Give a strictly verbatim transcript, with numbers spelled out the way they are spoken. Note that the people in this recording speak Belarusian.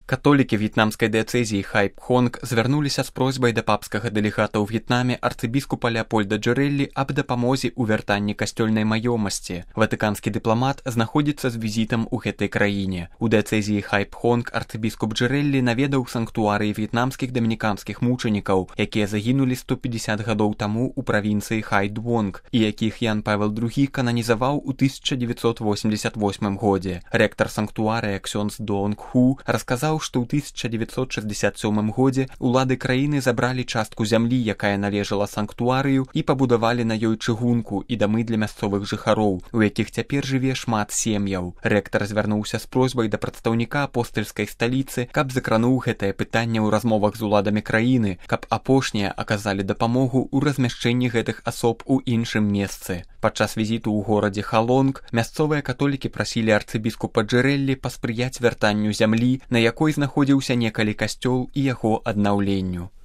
Католікі в'етнамскай дыяцэзіі Хайпхонг звярнуліся з просьбай да папскага дэлегата ў В'етнаме арцыбіскупа Леапольда Джэрэлі аб дапамозе ў вяртанні касцёльнай маёмасці. Ватыканскі дыпламат знаходзіцца з візітам у гэтай краіне. У дыяцэзіі Хайпхонг арцыбіскуп Джэрэлі наведаў санктуарыі в'етнамскіх дамініканскіх мучанікаў, якія загінулі сто пятьдесят гадоў таму ў правінцыі Хайдвонг, і якіх Ян Павел другі кананізаваў у тысяча девятьсот восемьдесят восьмым годзе. Рэктар санктуарыя ксёндз Доонг Ху расказаў, што ў тысяча девятьсот шестьдесят сёмым годзе улады краіны забралі частку зямлі, якая належала санктуарыю, і пабудавалі на ёй чыгунку і дамы для мясцовых жыхароў, у якіх цяпер жыве шмат сем'яў. Рэктар звярнуўся з просьбай да прадстаўніка апостальскай сталіцы, каб закрануў гэтае пытанне ў размовах з уладамі краіны, каб апошнія аказалі дапамогу ў размяшчэнні гэтых асоб у іншым месцы. Падчас візіту ў горадзе Халонг мясцовыя католікі прасілі арцыбіскупа Джэрэлі паспрыяць вяртанню зямлі, на якой знаходзіўся некалі касцёл, і яго аднаўленню.